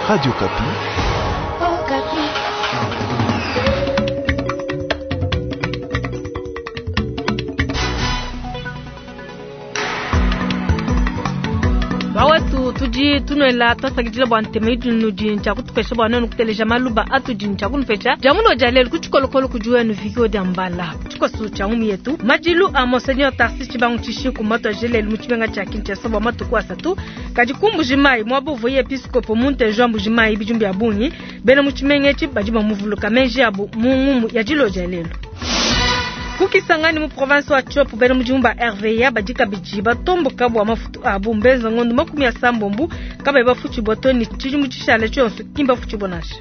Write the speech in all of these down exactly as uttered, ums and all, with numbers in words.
Radio Okapi. Oh, Bawetu tudi tunuela twasakidila bua ntema idinudi ntshia bua nuenu kuteleja maluba atudi ntshia kunupesha dia muno dia lelu ku tshikolokolo kudi wenu vikio dia mbala tshikoso tshia ngumu yetu madilu a monseigneur Tarsis Tshibangu Tshishiku matu lelu mu tshimenga tshia Kinshasa bua matuku asatu kadi ku Mbujimayi muaba uvuaye episkopo muntejo wa Mbujimayi bidimu bia bungi bena mu tshimenga etshi badi bamuvuluka meji abu mu ngumu ya dilo dia lelu. Ku Kisangani mu province wa Tshopo bena mudimu ba R V A badi kabidi batomboka bua mafutu abu mbenza ngondo makumi asambombo kabayi bafutshibua to ni tshidimu tshishale tshionso ki mbafutshibua nansha.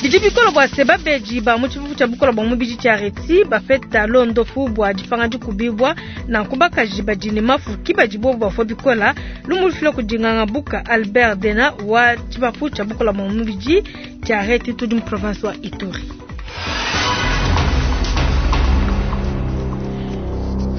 Bidi bikolo bua se babedi ba mu tshifufu tshia bukola bua mubidi tshia Reti bapeta londopu bua dipanga dikubibua nanku bakaji badi ne mafu ki badi bobu bafua bikola lumu lufila kudi nganga buka Albert Dena wa tshibafu tshia bukola bua mubidi tshia Reti tudi mu province wa Ituri.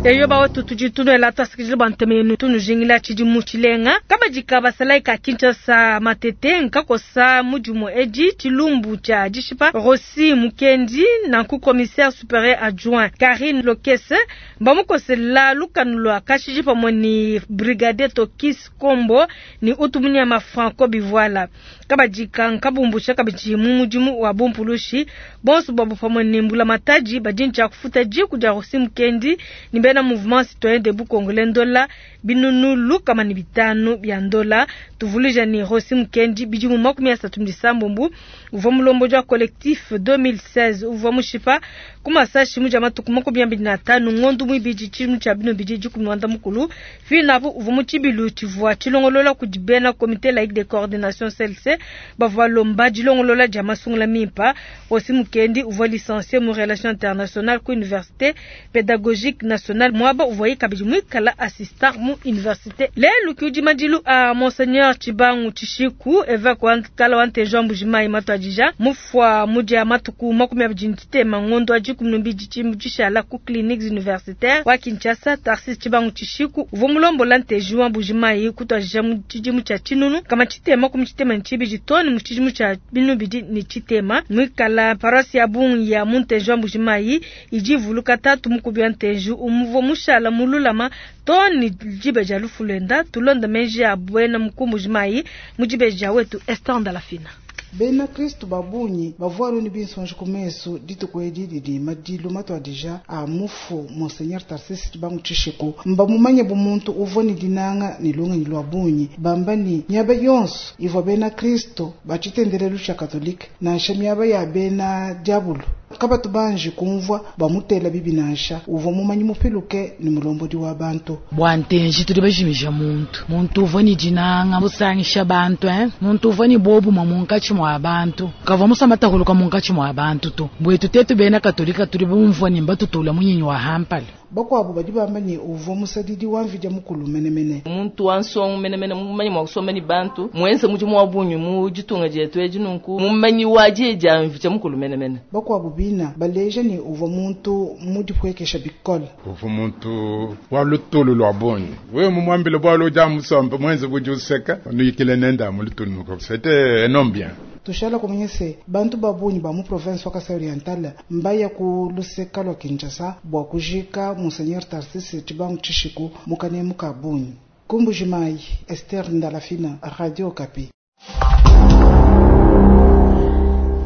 Eyo bawetu tudi tunuela twasikidila bua ntema yenu tunujingila tshidimu tshilenga kabadika basalayi ka Kinshasa matete nkakosa mudimu edi tshilumbu tshia dishipa Rossi Mukendi nanku commissaire supérieur adjoint Karine Lokese mbamukosela lukanu lwa kashiji pamwe ni brigadier Tokis Kombo ni utumunyama Franco Bivuala kabadika nkabumbusha kabidi mu mudimu wa bumpulushi bonso babu pamwe ni mbula mataji badi kufuta jiku dia Rossi Mukendi ni bena mouvement citoyen debout congolais ndola binunu lukama ni bitanu bya ndola tuvuluja ni Rossi Mukendi bidimu makumi asatu ndisambumbu uvua mulombo wa collectif deux mille seize uvua mushipa kumasashi muja matuku makumi abidi na tanu ngondu mwibidi tshimu tshia bino bidi dikumi mwanda mukulu finapo uvua mu tshibilu tshivua tshilongolola kudi bena comité laïque de coordination C L C bavua lomba dilongolola dia masungula mimpa. Rossi Mukendi uvua licencié mu relations internationales ku université pédagogique nationale mwaba uvua kabidi mwikala assistant mu université lelu kiudi madilu a monseigneur Tshibangu Tshishiku évêque wa kala wa Ntejo Mbujimayi matwadija mufwa mudia matuku makumi abidi ntitema ngondo wa dikumi na mbili tshimu tshishala ku cliniques universitaires wa Kinshasa. Tarsis Tshibangu Tshishiku uvua mulombola Ntejo wa Mbujimayi kutwadija mu tshidimu tshia tshinunu kama tshitema kumi tshitema ne tshibidi toni mu tshidimu tshia binu bidi ne tshitema mwikala paroisse ya bungi ya mu Ntejo wa Mbujimayi idi ivuluka tatu mukubi wa Ntejo umuvua mushala mululama toni dibe dia lufulenda tulonda menji ya bwena mukumbujimayi mu dibe dia wetu Esther Ndalafina. Bena Kristo babunyi bavua ni binsonji ku mesu dituku edi didi madilu matwadija a mufu Monseigneur Tarsis Tshibangu Tshishiku mbamumanye bu muntu uvua ni dinanga ni lungenyi lwa bunyi bamba ni miaba yonso ivua bena Kristo ba tshitendelelu tshia Katolike nansha miaba ya bena diabulu kabatu banji kumvua bamutela bibi nansha uvua mumanyi mupiluke ni mulombodi wa bantu bwa ntenji tudi bajimija muntu muntu uvua ni dinanga musangisha bantu eh muntu uvua ni bobu munkatshi mwa bantu kavua musamata huluka munkatshi mwa bantu tu bwetu tetu bena Katolika tudi bumvua ni mbatutula munyinyi wa hampala bakwabo badi bamba ni uvua musadidi wa mvidya mukulu menemene muntu wa nsongo menemene mumanyi mwa kusomba ni bantu mwenze mudimu wa bunyi mu ditunga dietu edi nunku mumanyi wa diedia mvidya mukulu menemene bakwabo bina baleja ni uvua muntu mudipwekesha bikole uvua muntu wa lutulu lwa bunyi wewe mumwambile bwalo uja musomba mwenze budi useka nuyikile nenda mu lutulu nuko c'était un homme bien. Tushala kumenya se bantu babunyi ba mu province wa Kasai Oriental mbaya ku luseka lwa Kinshasa bua kujika Monseigneur Tarsis Tshibangu Tshishiku mukanemu ka bunyi. Kumbujimayi, Esther Ndalafina, Radio Okapi.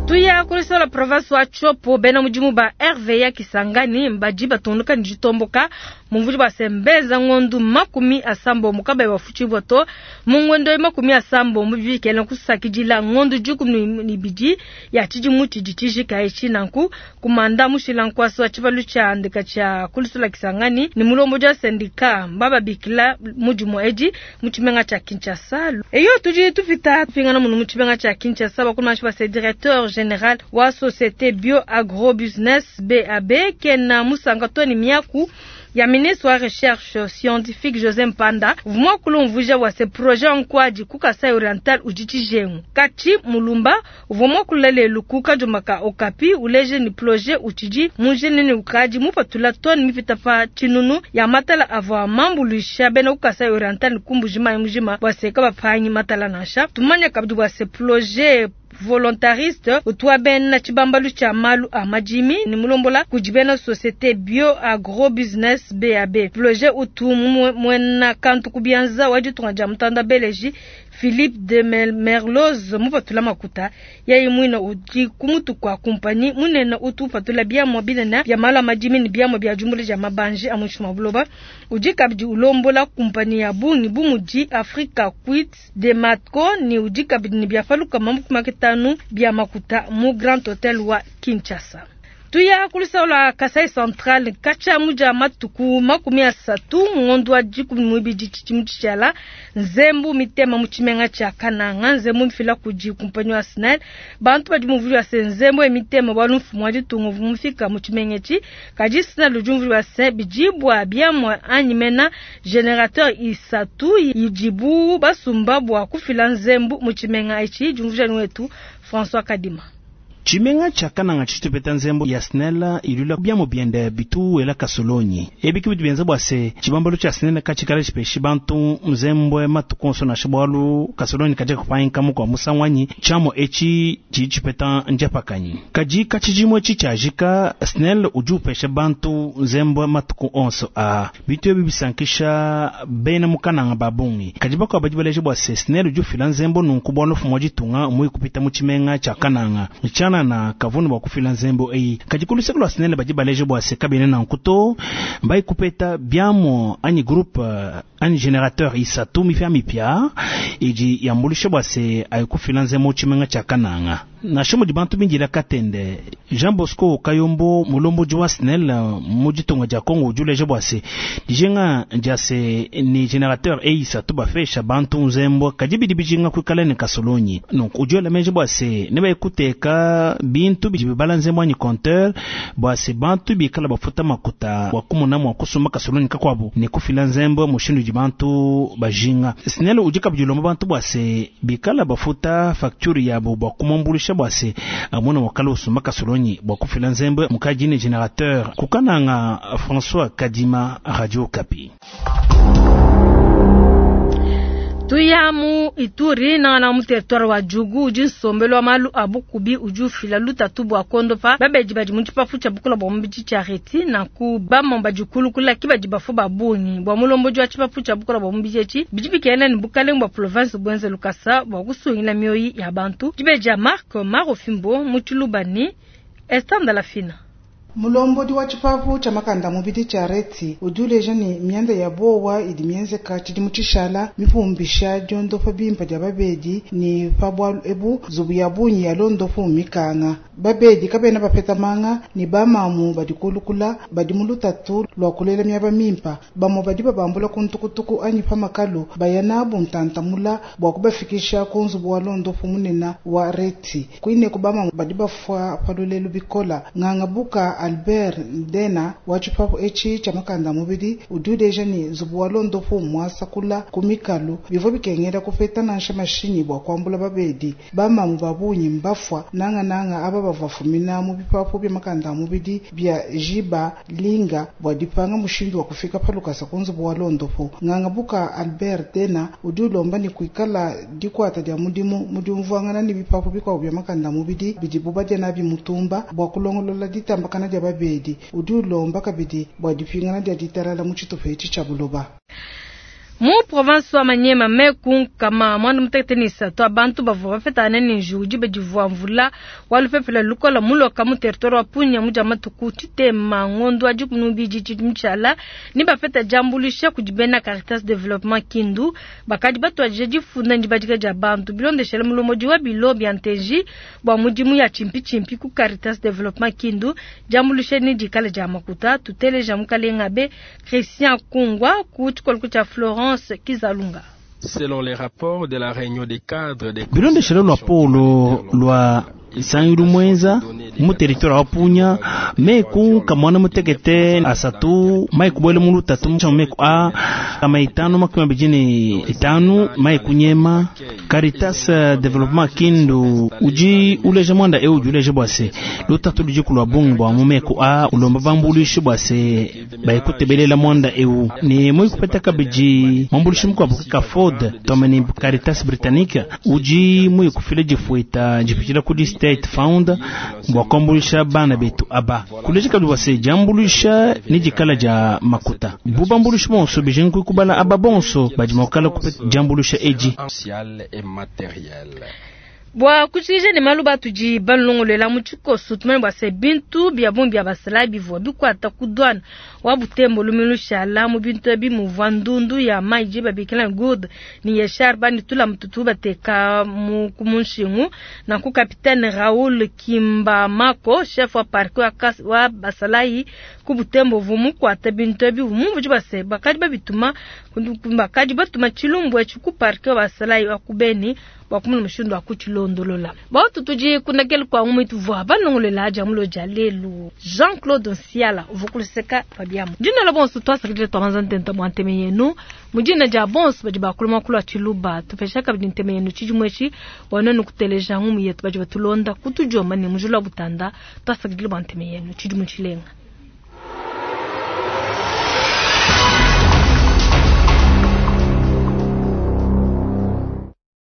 Tuya kulisola province wa Tshopo bena mudimu ba R V A Kisangani mbaji batunduka ni jitomboka mumvudi ba sembeza ngondu makumi asambo mukabe bafuchibwa to mungondo makumi asambo mubikela kusakidila ngondu jukumi ni bidi ya chidimu chijijika echi nanku kumanda mushila nkwaso wa chibalu cha andika cha kulisola Kisangani ni mulombo ja sendika mbaba bikila mudimu eji muchimenga cha Kinshasa eyo tuji tufita pingana munu muchimenga cha Kinshasa bakumashi ba directeur general wa societe Bio Agro Business B A B kena musanka to ne miaku ya ministre wa recherche scientifique José Mpanda vumwa kulumvuja wa se projet nkwadi ku Kasai Oriental udi tshijengu Kachi Mulumba uvumwa kulele ku Kajumaka Okapi uleje ni projet utidi mujene ni ukadi mupatula toni mipita pa tshinunu ya matala avua mambuluisha bena ku Kasai Oriental kumbujima mujima bua se kabapangi matala nansha tumanya kabidi bua se projet volontariste utwa bena tshibambalu tshia malu a madimi ni mulombola kudi bena société Bio Agro Business B A B projet utu mwena kantu kubianza waditunga dia mutanda beleji Philippe de Merloz mupatula makuta yayi mwina udi kumutu kwa kompani munene utu patula biamwa binene bia malu a madimi ni biamwa bia jumbule dia mabanje a mushima buloba udi kabidi ulombola kompani ya bungi bumudi Africa Quit de Matco ni udi kabidi ni biafaluka mamukumaketanu bia makuta mu Grand Hotel wa Kinshasa. Tuya kulisa Kasai Central kacha muja matuku makumi asatu ngondo wa dikumi muibidi tshidimu tshiala nzembu mitema mu tshimenga tshia Kananga nzembu mfila kudi kumpanyi wa SNEL bantu badi muvuli wa se nzembu emitema bwalu mfumu wa ditunga mufika mu tshimenga etshi kadi SNEL udi muvuli wa se bidibwa biamwa anyi mena generateur isatu idibu basumba bwa kufila nzembu mu tshimenga etshi diumvuja wetu François Kadima. Tshimenga tshia Kananga tshitupeta nzembo ya SNEL ilula biamo biende bitu ela kasolonyi ebiki bitu bienza bua se tshibambalo tshia SNEL katshikala tshipeshi bantu nzembwe matukonso na shibwalu kasolonyi kaja kupanyika kwa musangwanyi tshiamo etshi tshidi tshipeta njapakanyi kaji katshijimwe etshi tshiajika SNEL udi upesha bantu nzembwe matuku onso a bitu ebi bisankisha bena mu Kananga babungi kaji bakwa badi baleje bua se SNEL udi ufila nzembo nunku bwalu fumu wa ditunga mui kupita mu tshimenga tshia Kananga na kavunu bwa kufila nzembo eyi kadi kuluseka lwa SNEL badi baleje bua se kabene na nkuto mbai kupeta biamo anyi groupe anyi generateur isatu mipya mipya idi yambulisha bua se ayikufila nzembo tshimenga tshia Kananga na shomo di bantu bindila katende Jean Bosco Kayombo mulomboji wa SNEL mu ditunga dia Congo udi uleja bua se dijenga dia se ni generateur eyi isatu bafesha bantu nzembo kadi bidi bijinga kuikala ne kasolonyi donc udi ula bua se ne baikuteka bintu bidi bibala nzembo anyi compteur bua se bantu bikala bafuta makuta bua kumona mua kusumba kasolonyi kakuabu ne kufila nzembo mushindu di bantu bajinga SNEL udi kabidi ulomba bantu bua se bikala bafuta facture yabo bua kumambulisha bua se amona wakala usumba kasolonyi bua kufila nzembo mukaji ne generateur kukananga François Kadima Radio Kapi. Tuya mu Ituri na na mu territoire wa Djugu udi nsombelo wa malu a bukubi udi ufila lutatu bua kondopa babedi badi mu tshipapu tshia bukola bua mubidi tshia reti na ku bamamba dikulukula ki badi bafu ba bungi bua mulombodi wa tshipapu tshia bukola bua mubidi etshi bidi bikena ne bukalenga bua province bwenze lukasa bua kusungila mioyi ya bantu dibeja Marc Marofimbo mu Tshilubani Esther Lafina. Mulombodi wa tshipapu tshia makanda mubidi tshia reti udi uleja ne mianda ya bowa idi mienzeka tshidimu tshishala mipumbisha diondopa bimpa dia babedi ni pa bwalu ebu nzubu ya bungi ya londopu mikanga babedi kabena bapeta manga ni bamamu badi kulukula badi mu lutatu lwa kulela miaba mimpa bamwe badi babambula ku ntukutuku anyi pa makalu baya nabu ntantamula bua kubafikisha ku nzubu wa londopu munene wa reti kuineku bamamu badi bafua pa lulelu bikola nganga buka Albert Ndena wa tshipapu etshi tshia makanda mubidi udi uleja ne nzubu wa londopu muasakula ku mikalu bivua bikengela kupeta nansha mashinyi bua kuambula babedi bamamu babunyi mbafua nangananga aba bavua mu bipapu bia makanda mubidi bia jiba linga bua dipanga mushindu wa kufika pa lukasa ku nzubu wa londopu nganga buka Albert Ndena udi ulomba ne kuikala dikuata dia mudimu mudiumvuangana ne bipapu bikuabu bia makanda mubidi bidibu badia nabi mutumba bua kulongolola ditambakana dia babedi udi ulomba kabidi bua dipingana dia ditalala mu tshitupa etshi tshia buloba. Mu province wa Manyema meku kama mwandu mutekete ni isatu abantu bavua bapetana ne njiwu badivuwa mvula walupepele lukola muloka mu territoire wa Punya muja matuku tshitema ngondo wa dikumi n'ibidi tshidimu tshiala ni bapeta diambuluisha kudi bena Caritas Development Kindu bakadi batuadije difunda ndibadika dia bantu bilondeshela mulomodi wa bilo bia nteji bua mudimu ya chimpitshimpi ku Caritas Development Kindu diambuluisha ni dikala dia makuta tuteleja mukalenga be Christian Kungwa ku tshikolo tshia Florence Kizalunga. Selon les rapports de la réunion des cadres des bilondeshelo lwa polo lwa Nsangilu mwenza mu territoire wa Punya meku kamwana mutekete asatu mai kubwele mu lutatu mu meku a kama itano makumi abidi ne itanu mai kunyema. Caritas Development Kindu uji uleja mwanda eu udi uleja bua se lutatu ludi kulua bungi bua mu meku a ulomba bambuluishi bua se baikutebelela mwanda eu ne moi kupeta kabidi mwambuluishi mukuabu ka Ford tomene Caritas Britannique uji moi kufila difuita dipitshila kudi State Fund bua kuambuluisha bana betu aba kuleja kabidi bua se diambuluisha ne dikala dia makuta bubambuluishi bonso bijingi kubala aba bonso badi mua kukala kupeta diambuluisha edi. Bua kushikija ne malu batudi balongolela mu tshikoso tumanye bua se bintu bia bungi bia basalayi bivua bikuata ku douane wa Butembo lumingu lushala mu bintu ebi muvua ndundu ya mayi je babikila gourde ni yeshar bani tula mututu bateka mu ku munshingu. Nanku capitaine Raoul Kimbamako chef wa parquet wa, wa basalayi ku Butembo vumu kuata bintu ebi mumvuji base bakadi babituma bakadi batuma tshilumbu etshi ku parquet wa basalayi wa ku Beni bua kumona mushindu wa kutshilondolola. Bautu tudi kundakele kwa ngumi tuvua banongolela aja mulo dia lelu. Jean-Claude Nsiala uvukuluseka pabiamu. Dina la bonso twasakidile twamanza ntenta mwa nteme yenu. Mudina dia bonso badi bakuluma kulwa tshiluba tupesha kabidi nteme yenu tshidimwe etshi bua nuenu kuteleja ngumi yetu badi batulonda kutujoma ne mujula butanda twasakidile bua nteme yenu tshidimu tshilenga.